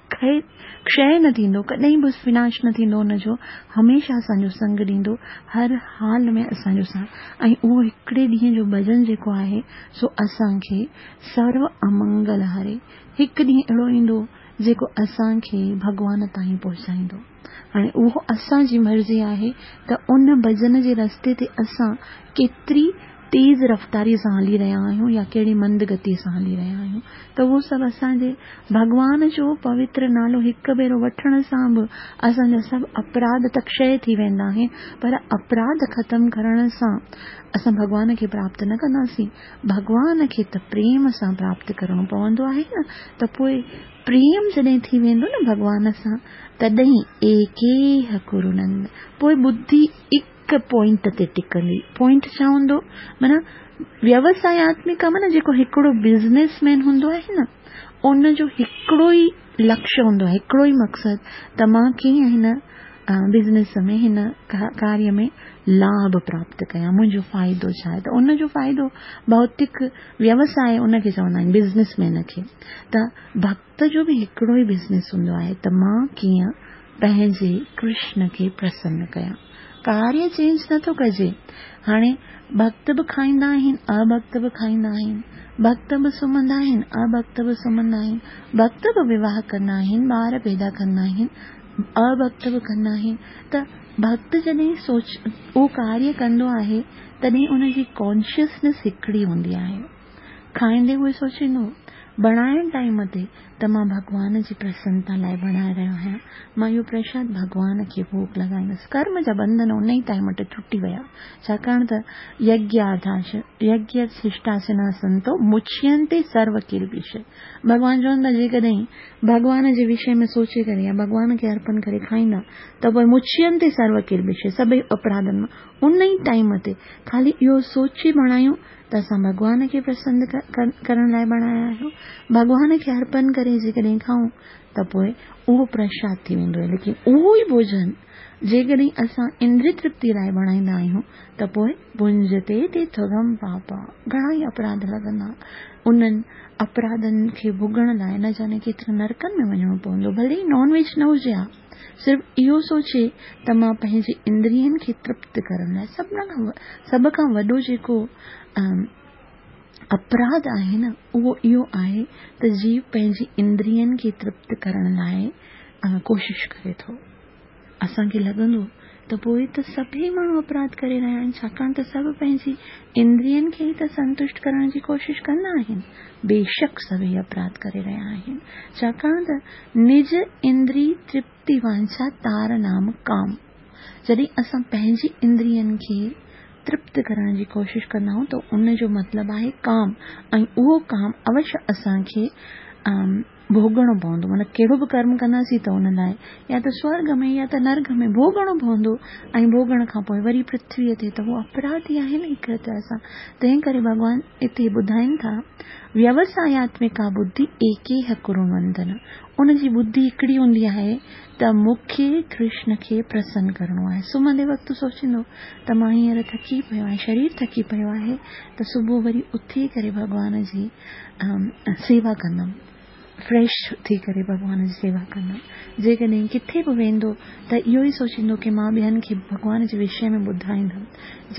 Speaker 1: کشي نه ٿيندو، ڪڏهن به وناش نه ٿيندو ان جو، هميشه اسان جو سنگ ڏيندو، هر حال ۾ اسان جو ساٿ ۽ اهو هڪڙي ڏينهن جو ڀڄن جيڪو آهي سو اسان کي سرو امنگل هري. هڪ ڏينهن اهڙو ايندو جيڪو اسان کي ڀڳوان تائين پهچائيندو. هاڻي اهو اسان جي مرضي آهي ته ان ڀڄن جي رستي تي اسان ڪيتري تيز رفتاري سان هلي رهيا آهيون يا ڪهڙي مند گتي سان هلي رهيا آهيون ته اهو سڀ اسان جي ڀڳوان جو پوتر نالو هڪ ڀيرو وٺڻ سان به اسان جا سڀ اپراڌ ته ڪشي ٿي ويندا آهن پر اپراڌ ختم ڪرڻ سان اسان ڀڳوان کي پراپت نه ڪنداسين. ڀڳوان کي ته پريم سان پراپت ڪرڻو پوندو آهي نه ته پوء پريم جڏهن ٿي ويندو نه ڀڳوان سان تڏهن ايڪيهه ڪرونند پوء ٻڌي هڪ پوائنٽ تي ٽڪندي. پوائنٽ ڇا هوندو معنيٰ ويوساياتمڪا معنيٰ جيڪو هڪڙو بزنس مين هوندو آهي نه ان جو هڪڙو ئي لڪشيه هوندو آهي هڪڙو ئي مقصد ته مان ڪيئن هن بزنس ۾ هن ڪاريه ۾ لاڀ پراپت ڪيان منهنجو فائدو ڇا آهي ته ان جو فائدو ڀوتڪ ويوساء ان کي چوندا آهن بزنس مين کي ته ڀڳت جو به هڪڙو ئي بزنس هوندو آهي ته مان ڪيئن پنهنجي ڪرشن کي پرسن ڪيان ڪاريه چينج نه ٿو ڪجي هاڻي ڀڳت به کائيندا آهن اڀڳت به کائيندا آهن ڀڳت به سمهندا آهن اڀڳت به سمهندا آهن ڀڳت به وواهه ڪندا آهن ٻار پيدا ڪندا آهن اڀڳت به ڪندا آهن ته ڀڳت جڏهن سوچ اهو ڪاريه ڪندو آهي تڏهن ان جي ڪانشسنيس هڪڙي هوندي آهي. کائيندي اهو سوچيندو بڻائڻ ٽائيم تي ته مان ڀڳوان جي پرسنتا لاء بڻائي رهيو آهيان مان اهو پرشاد ڀڳوان کي ڀوڳ لڳائيندس ڪرم جا بنڌن ان ئي ٽائيم تي ٽٽي ويا ڇاڪاڻ ته يگياڌاش يگيه ششٽاسنا سنتو مچينتي سرو ڪلبش ڀڳوان چون ٿا جيڪڏهن ڀڳوان جي وشي ۾ سوچي ڪري يا ڀڳوان کي ارپن ڪري کائيندا ته پوء مچينتي سرو ڪلبش سڀئي اپراڌن مان ان ئي ٽائيم تي خالي اهو سوچي بڻايون ته اسان ڀڳوان کي پرسن ڪرڻ لاء بڻايا آهيون. ڀڳوان کي ارپن ڪري جيڪڏهن کائون ته پوء اهو پرشاد ٿي ويندو آهي ليڪن اهو ئي ڀوڄن جيڪڏهن اسان اندري ترپتي لاء بڻائيندا آهيون ته پوء ڀنجتي تي ٿگم پاپا گهڻا ئي اپراڌ لڳندا انهن اپراڌن کي ڀوڳڻ لاء نه جاني ڪيترن نرڪن ۾ وڃڻو پوندو ڀلي ئي نان ويج نه هجي ها صرف اهو سوچي ته مان پنهنجي اندرين کي ترپت ڪرڻ لاء سڀ کان وڏو جيڪو اپراڌ آهي نه اهو اهو آهي ته جيو پنهنجي اندرين کي ترپت ڪرڻ لاء ڪوشش ڪري ٿو. اسان کي لڳندو ته پوء ته سڀئي ماڻهو اپراڌ ڪري رهيا آهن ڇاڪاڻ ته سڀ پنهنجي اندرين کي ئي ته سنتشٽ ڪرڻ جي ڪوشش ڪندا آهن. بيشڪ سڀئي اپراڌ ڪري رهيا آهن ڇاڪاڻ ته نج اندري ترپتي وانڇا تار نام ڪام. جڏهن اسان پنهنجي اندرين کي ترپت ڪرڻ جي ڪوشش ڪندا آهيون ته ان جو مطلب آهي ڪام ۽ اهو ڪام اوشيه اسان کي ڀوڳڻو پوندو معنيٰ ڪهڙو به ڪرم ڪنداسين ته ان لاء يا ته سورڳ ۾ يا ته نرڳ ۾ ڀوڳڻو پوندو ۽ ڀوڳڻ کان پوء وري پرٿويء تي ته اهو اپراڌ ئي آهي نه هڪ طرح سان تنهن ڪري ڀڳوان اتي ٻڌائين ٿا ويوساياتمڪا ٻڌي ايڪيهه ڪرونندن ان جي ٻڌي هڪڙي هوندي آهي ته مون کي ڪرشن کي پرسن ڪرڻو آهي سمهندي وقت سوچيندو ته مان هينئر ٿڪي پيو آهيان شرير ٿڪي پيو آهي ته صبح وري اٿي ڪري ڀڳوان جي سيوا ڪندم فريش ٿي ڪري ڀڳوان جي سيوا ڪندم. جيڪڏهن ڪٿي به ويندو ته اهو ئي سوچيندو ڪي مان ٻين کي ڀڳوان جي وشي ۾ ٻڌائيندم.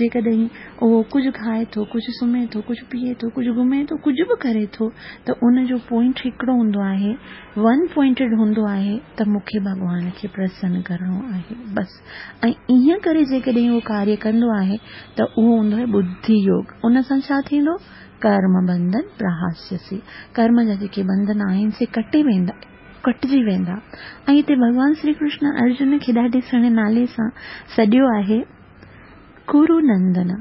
Speaker 1: جيڪڏهن اهو ڪجهه کائي ٿو، ڪجهه سمهي ٿو، ڪجهه پيئي ٿو، ڪجهه گهمي ٿو، ڪجهه به ڪري ٿو ته ان جو پوائنٽ هڪڙو هوندو آهي، ون پوائنٽيڊ هوندو آهي ته مون کي ڀڳوان کي پرسن ڪرڻو آهي بس. ۽ ائين ڪري جيڪڏهن اهو ڪاريه ڪندو آهي ته اهو هوندو آهي ٻڌي يوگ. ان سان ڇا ٿيندو؟ ڪرم بنڌن پرهاسيسي، ڪرم جا جيڪي بنڌن آهن سي ڪٽي ويندا، ڪٽجي ويندا. ۽ هتي ڀڳوان شري ڪرشن ارجن کي ڏاڍي سهڻي نالي سان سڏيو آهي ڪرو نندن،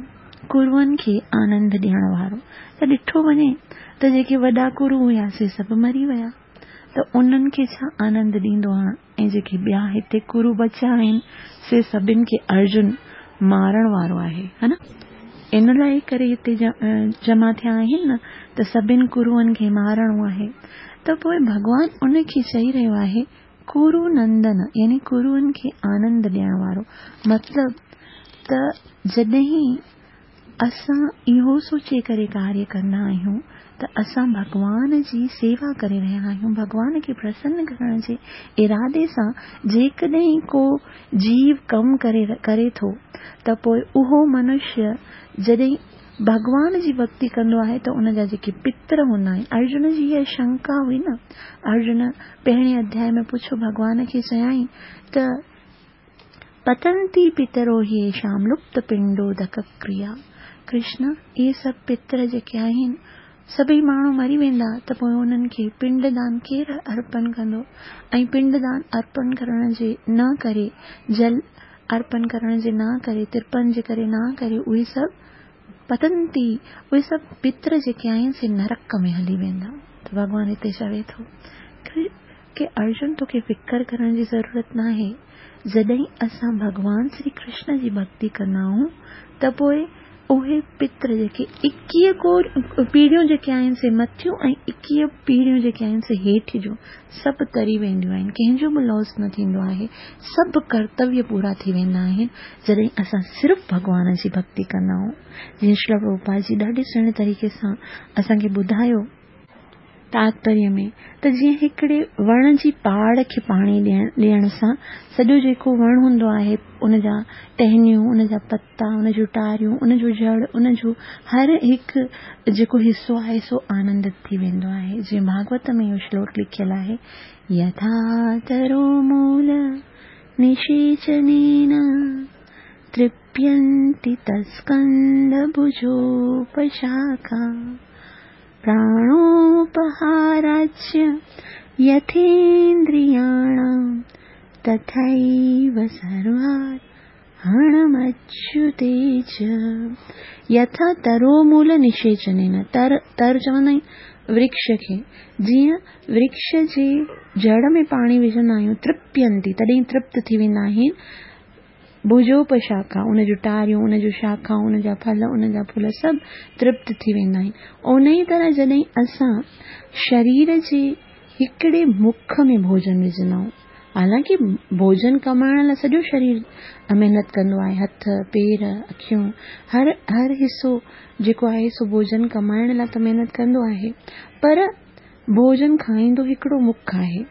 Speaker 1: ڪروئن کي آنند ڏيڻ وارو. ته ڏٺو وڃي ته جيڪي وڏا ڪرو هيا سي سڀ مري ويا ته انهن کي ڇا آنند ڏيندو هاڻ ۽ جيڪي ٻيا هتي ڪرو بچيا آهن سي سڀن کي ارجن مارڻ وارو آهي ها نه؟ ان لاء ڪري هتي جمع ٿيا آهن نه ته سڀن ڪروئن کي مارڻو آهي ته پوء ڀڳوان ان کي چئي رهيو آهي ڪرو نندن يعني ڪروئن کي آنند ڏيڻ وارو. مطلب ته جڏهن اسان اهو سوچي ڪري ڪاريه ڪندا آهيون ته اسان ڀڳوان جي سيوا ڪري رهيا آهيون، ڀڳوان کي پرسن ڪرڻ جي ارادي سان جيڪڏهن ڪو جيو ڪم ڪري ٿو ته پوء اهو منشيه جڏهن ڀڳوان جي ڀڳتي ڪندو آهي ته ان جا جيڪي پتر هوندا آهن، ارجن جي اها شنڪا هئي نه، ارجن پهرين اڌياء ۾ پڇيو ڀڳوان کي چيائين ته پتنتي پترو هيشام لپت پنڊودڪ ڪريا، ڪرشن اهي سڀ پتر جيڪي آهن سڀئي ماڻهو مري ويندا ته پوء انهن کي پنڊ دان ڪير ارپن ڪندو ۽ پنڊ دان ارپن ڪرڻ جي نه ڪري جل ارپن ڪرڻ جي نه ڪري ترپن جي ڪري نه ڪري اهي سڀ پتنتي اهي سڀ پتر جيڪي آهن سي نرڪ ۾ هلي ويندا ته ڀڳوان هتي چوي ٿو ڪي ارجن توکي فڪر ڪرڻ جي ضرورت ناهي جڏهن اسان ڀڳوان شري ڪرشن جي ڀڳتي ڪندا آهيون ته پوء اهي پتر جيڪي ايڪيهه ڪو پيڙهيون جيڪي آهن سي مٿيون ۽ ايڪيهه پيڙهيون جيڪي آهن سي هيٺ جون سڀ تري وينديون آهن ڪنهن جو به لاس نه ٿيندو آهي سڀ ڪرتويه پورا ٿي ويندا آهن جڏهن اسان صرف ڀڳوان جي ڀڳتي ڪندا آهيون. جيئن شريلا پرڀوپاد جي ڏاڍي سهڻي طريقي سان اسان کي ٻڌايو تاتپريه ۾ ته جيئن هڪڙي وڻ جي پاڙ کي پاڻي ڏيڻ سان سڄو جيڪو وڻ هوندو آهي ان جا ٽهنيون، ان جا پتا، ان جون ٽاريون، ان جو جڙ، ان جو هر هڪ جيڪو حصو آهي سو آنندت ٿي ويندو آهي. جيئن ڀاڳوت ۾ اهو شلوڪ لکيل آهي يٿا ترو مول نشيچنين ترپينتي تسڪند ڀجوپشاکا پراڻوپهاراچ يٿيندرياڻام تٿيو سروار هڻمچيوتي چ يٿا ترو مول نشيچنين تر تر چوندا آهن ورڪش کي جيئن ورڪش جي جڙ ۾ پاڻي وجهندا آهيون ترپينتي تڏهن ترپت ٿي ويندا آهن ڀجوپشاکا ان جون ٽاريون ان جون شاکائون ان جا ڦل ان جا ڦل سڀ ترپت ٿي ويندا آهن انهي طرح جڏهن اسان شرير جي هڪڙي مک ۾ ڀوڄن وجهندا آهيون حالانڪه ڀوڄن ڪمائڻ لاء سڄو شرير محنت ڪندو آهي، هٿ، پير، اکيون، هر هر حصو جيڪو آهي سو ڀوڄن ڪمائڻ لاء ته محنت ڪندو آهي پر ڀوڄن کائيندو هڪڙو مک آهي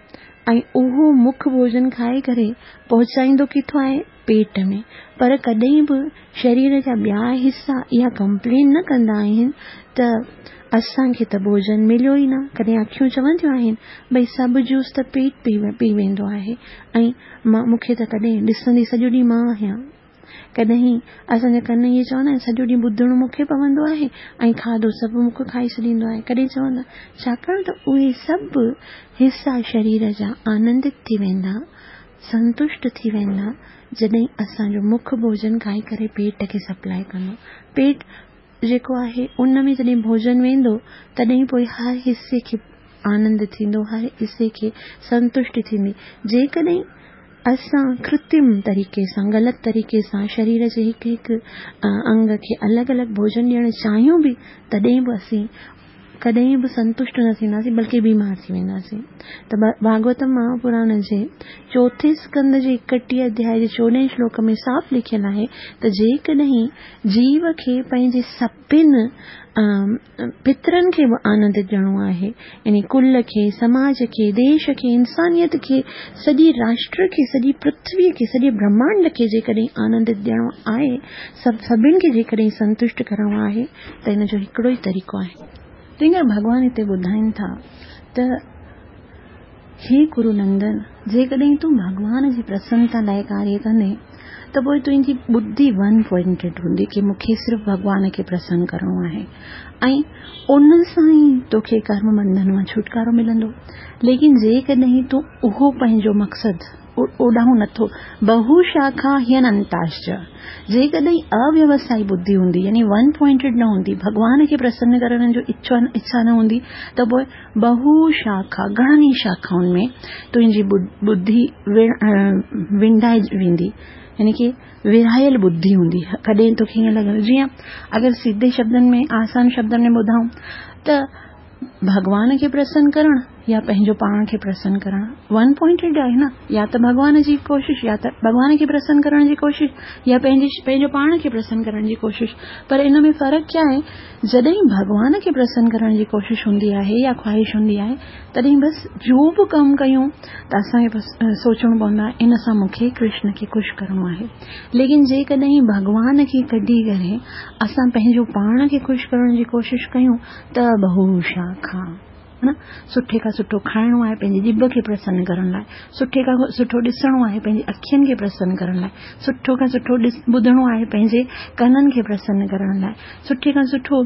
Speaker 1: ۽ اهو مک ڀوڄن کائي ڪري پهچائيندو ڪٿو آهي پيٽ ۾ پر ڪڏهن به شرير جا ٻيا حصا اها ڪمپلين نه ڪندا آهن ته اسان کي ته ڀوڄن مليو ئي نه. ڪڏهن اکيون چونديون آهن ڀئي سڀ جوس ته پيٽ پي ويندو آهي ۽ مان مون کي ته ڪڏهن ڏسندي سڄو ڏينهن مان آهيان. ڪڏهن اسان جا ڪن ائين چوندا آهن سڄو ڏينهن ٻڌڻو مون کي پوندو آهي ۽ کاڌو سڀ مون کي کائي ڇڏيندو آهي. ڪڏهن چوندا ڇاڪاڻ ته اهي سڀ حصا شرير جا آنندت ٿي ويندا، سنتشٽ ٿي ويندا جڏهن اسان جو مک ڀوڄن کائي ڪري پيٽ کي سپلائي ڪندو. پيٽ جيڪو آهي ان ۾ جڏهن ڀوڄن ويندو تڏهن پوء هر حصي کي آنند ٿيندو، هر حصي کي سنتشٽي ٿيندي. جيڪڏهن اسان ڪرترم طريقي سان غلط طريقي سان شرير جي هڪ هڪ انگ کي الڳ الڳ ڀوڄن ڏيڻ چاهيون به تڏهن به اسين ڪڏهن به سنتشٽ نه ٿينداسين بلڪه بيمار ٿي وينداسين ته ڀاڳوتم مهاپراڻ جي چوٿين اسڪنڌ جي ايڪٽيهه اڌياء جي چوڏهين شلوڪ ۾ صاف لکيل آهي ته جيڪڏهن جيو کي پنهنجي سڀن پترن کي به آنند ڏيڻو آهي يعني ڪل کي سماج کي ديش کي انسانيت کي سڄي راشٽر کي سڄي پرٿوي کي سڄي برهمانڊ کي جيڪڏهن آنند ڏيڻو آهي سڀ سڀن کي جيڪڏهن سنتشٽ ڪرڻو آهي ته ان جو هڪڙو ئي طريقو آهي. تنهن ڪري ڀڳوان هتي ٻڌائين ٿا ته هي ڪرو نندن! جيڪڏهن تون ڀڳوان جي پرسنتا لاء ڪاريه ڪندين ته پوء تنهنجي ٻڌي ون پوائنٽيڊ هوندي ڪي مون کي صرف ڀڳوان کي پرسن ڪرڻو آهي ۽ ان سان ئي توکي ڪرم بنڌن مان ڇوٽڪارو ملندو. ليڪن جيڪڏهن تون اهو پنهنجو مقصد اوڏانهن نٿو، بهو شاکا هيننتاشچ، جيڪڏهن اويوسائي ٻڌي هوندي يعني ون پوائنٽيڊ نه هوندي، ڀڳوان کي پرسن ڪرڻ جو اڇا نه هوندي ته پوء بهو شاکا، گهڻن ئي شاکائن ۾ تنهنجي ٻڌي ونڊائي ويندي يعني ڪي ورهايل ٻڌي هوندي. ڪڏهن توکي ائين لڳندو جيئن اگر سڌي شبدن ۾ آسان شبدن ۾ ٻڌائون ته ڀڳوان کي پرسن ڪرڻ يا پنهنجو پاڻ کي پرسن ڪرڻ؟ ون پوائنٽيڊ آهي نه، يا ته ڀڳوان جي ڪوشش يا ته ڀڳوان کي پرسن ڪرڻ جي ڪوشش يا پنهنجو پاڻ کي پرسن ڪرڻ جي ڪوشش. پر ان ۾ فرق ڪيا آهي؟ جڏهن ڀڳوان کي پرسن ڪرڻ جي ڪوشش هوندي آهي يا خواهش هوندي آهي، تڏهن بس جو به ڪم ڪيون ته اسان کي بس سوچڻو پوندو آهي ان سان مون کي ڪرشن کي خوش ڪرڻو آهي. ليڪن جيڪڏهن ڀڳوان کي ڪڍي ڪري اسان پنهنجو پاڻ کي خوش ڪرڻ جي ڪوشش ڪيون ته بهو شاکا، نه سٺي کان سٺو کائڻو آهي پنهنجي ڄڀ کي پرسن ڪرڻ لاء، سٺي کان سٺو ڏسڻو آهي پنهنجي اکين کي پرسن ڪرڻ لاء، سٺو کان سٺو ٻڌڻو آهي پنهنجي ڪنن کي پرسن ڪرڻ لاء، سٺي کان سٺو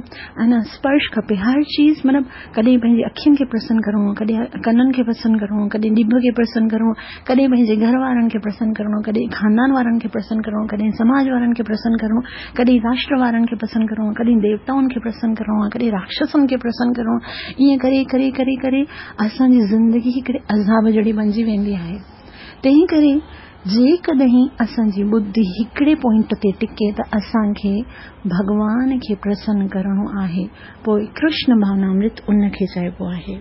Speaker 1: ۽ اسپرش کپي، هر چيز مطلب ڪڏهن پنهنجي اکين کي پرسن ڪرڻو آهي، ڪڏهن ڪنن کي پرسن ڪرڻو آهي، ڪڏهن ڄڀ کي پرسن ڪرڻو آهي، ڪڏهن پنهنجي گهر وارن کي پرسن ڪرڻو آهي، ڪڏهن خاندان وارن کي پرسن ڪرڻو آهي، ڪڏهن سماج وارن کي پرسن ڪرڻو آهي، ڪڏهن راشٽر وارن کي پرسن ڪرڻو آهي، ڪڏهن ديوتائن کي پرسن ڪرڻو آهي، ڪڏهن راڪشسن کي پرسن ڪرڻو آهي. ائين ڪري ڪري ڪري ڪري اسان جي زندگي هڪڙي عذاب جهڙي بنجي ويندي آهي. تنهن ڪري جيڪڏهن اسان جي ٻڌي هڪڙي پوائنٽ تي ٽڪي ته اسان کي ڀڳوان کي پرسن ڪرڻو آهي، پوء ڪرشن ڀاونامرت ان کي چئبو آهي.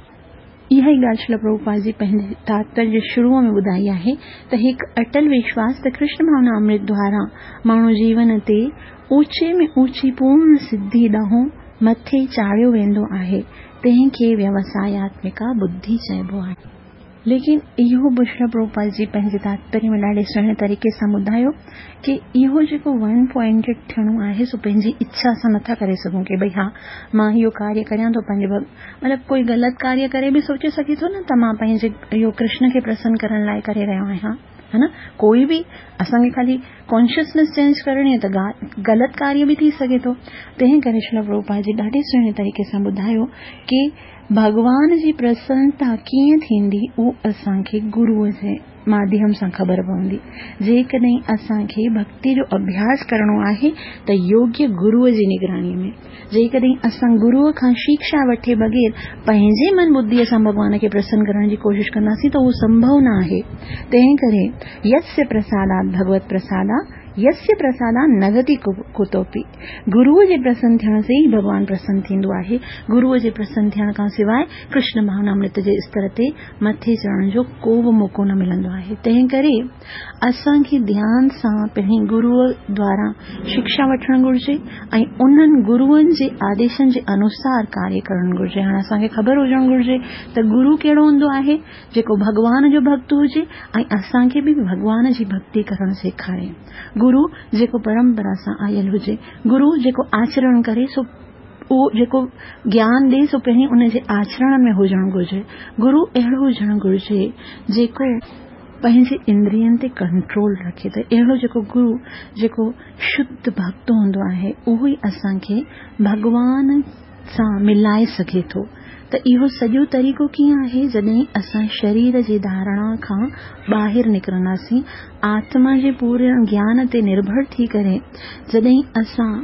Speaker 1: اها ئي ڳالهه شريل پرڀوپاد جي پنهنجي تاتپريه جي شروع ۾ ٻڌائي آهي ته هڪ اٽل وشواس ته ڪرشن ڀاونا امرت دوارا ماڻهو جيون تي اوچي ۾ اوچي پورڻ سڌي ڏانهن مٿي چاڙهيو ويندو آهي، تنهن کي ويوساياتمڪا ٻڌي چئبو آهي. ليڪن اهو به شريل پرڀوپاد جي پنهنجي تاتپريه ۾ ڏاڍي سهڻي طريقي سان ٻڌايو ڪي اهو جيڪو ون پوائنٽيڊ ٿيڻو آهي سو پنهنجي اڇا سان نٿا ڪري سگهون ڪي ڀئي ها مان اهو ڪاريه ڪريان ٿو پنهنجي مطلب ڪوئي غلط ڪاريه ڪري به سوچي سگهي ٿو نه ته مان پنهنجي اهو ڪرشن کي پرسن ڪرڻ لاء ڪري رهيو آهيان ها نه ڪوئي به اسان کي خالي ڪانشسنس چينج ڪرڻي آهي ته غلط ڪاريه به ٿي سگهي ٿو. تنهن ڪري شريل پرڀوپاد جي ڏاڍي سهڻي طريقي سان ٻڌايو ڪي ڀڳوان جي پرسنتا ڪيئن ٿيندي اهو اسان کي گروء جي ماڌيم سان خبر پوندي. جيڪڏهن اسان کي ڀڳتي جو اڀياس ڪرڻو آهي ته يوگيه گروء جي نگرانيء ۾. جيڪڏهن اسان گروء کان شيڪشا وٺي بغير پنهنجي من ٻڌيء سان ڀڳوان کي پرسن ڪرڻ جي ڪوشش ڪنداسين ته اهو سنڀو نه آهي. تنهن ڪري يسيا پرسادات ڀڳوت پرسادا يسيا پرسادا نگتي ڪتوپي. گروء جي پرسن ٿيڻ سان ئي ڀڳوان پرسن ٿيندو آهي. گروء جي پرسن ٿيڻ کان سواء ڪرشن ڀاونامرت جي استر تي مٿي چڙهڻ جو ڪو به موقعو نه ملندو آهي. تنهن ڪري اسان کي ڌيان سان پهرين گروء دواران شڪشا وٺڻ گهرجي ۽ انهن گروئن جي آديشن جي انوسار ڪاريه ڪرڻ گهرجي. هاڻ اسان کي خبر هجڻ گهرجي ته گرو ڪهڙو هوندو آهي؟ جيڪو ڀڳوان جو ڀڳت هجي ۽ اسان کي به ڀڳوان جي ڀڳتي ڪرڻ سيکاري. گرو جيڪو پرمپرا سان آيل هجي. گرو جيڪو آچرڻ ڪري سو اهو جيڪو گيان ڏي سو پهرين ان جي آچرڻ ۾ هجڻ گهرجي. گرو اهڙو هجڻ گهرجي جيڪو پنهنجي اندرين تي ڪنٽرول رکي ته اهڙو جيڪو گرو جيڪو شڌ ڀڳت هوندو آهي اهو ئي اسان کي ڀڳوان سان ملائي سگهي ٿو. ته اهو سڄو طريقو ڪيئن آهي؟ جڏهن اسان شرير جي ڌارڻا کان ٻاهر نڪرنداسين، آتما جي پورڻ گيان تي نرڀر ٿي ڪري جڏهن اسان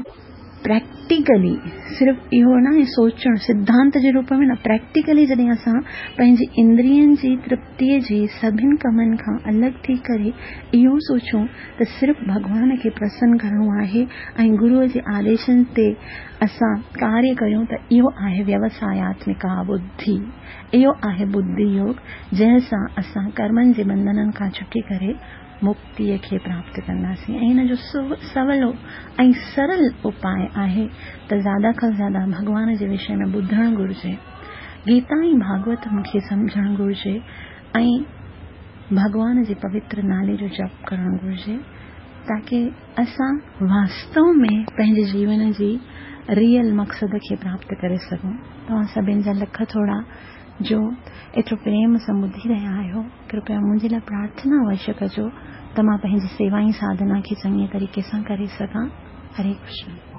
Speaker 1: پريڪٽيڪلي، صرف اهو ناهي سوچڻ، سڌانت جي روپ ۾ نه، پريڪٽيڪلي جڏهن اسان پنهنجي اندرين جي ترپتيء جي سڀن ڪمن کان الڳ ٿي ڪري اهو سوچون ته صرف ڀڳوان کي پرسن ڪرڻو آهي ۽ گروء جي آديشن تي اسان ڪاريه ڪريون ته اهو آهي ويوساياتمڪا ٻڌي، اهو آهي ٻڌي يوگ، جنهن سان اسان ڪرمن جي ٻنڌنن کان ڇٽي ڪري مڪتيء کي پراپت ڪنداسين ۽ ان جو سولو ۽ سرل اپاء آهي ته زياده کان زياده ڀڳوان جي وشي ۾ ٻڌڻ گهرجي، گيتا ۽ ڀاڳوتم کي سمجهڻ گهرجي ۽ ڀڳوان جي پوتر نالي جو جپ ڪرڻ گهرجي تاڪه اسان واستو ۾ پنهنجي جيون جي ريئل مقصد کي پراپت ڪري سگهون. توهان سڀن جا لک ٿورا جو ايترو پريم سان ٻڌي رهيا آهيو. ڪرپيا منهنجي لاء پرارٿنا اوشيه ڪجو ته مان پنهنجي سيوا ۽ ساڌنا کي چڱي طريقي سان ڪري سگهان. هري ڪرشن.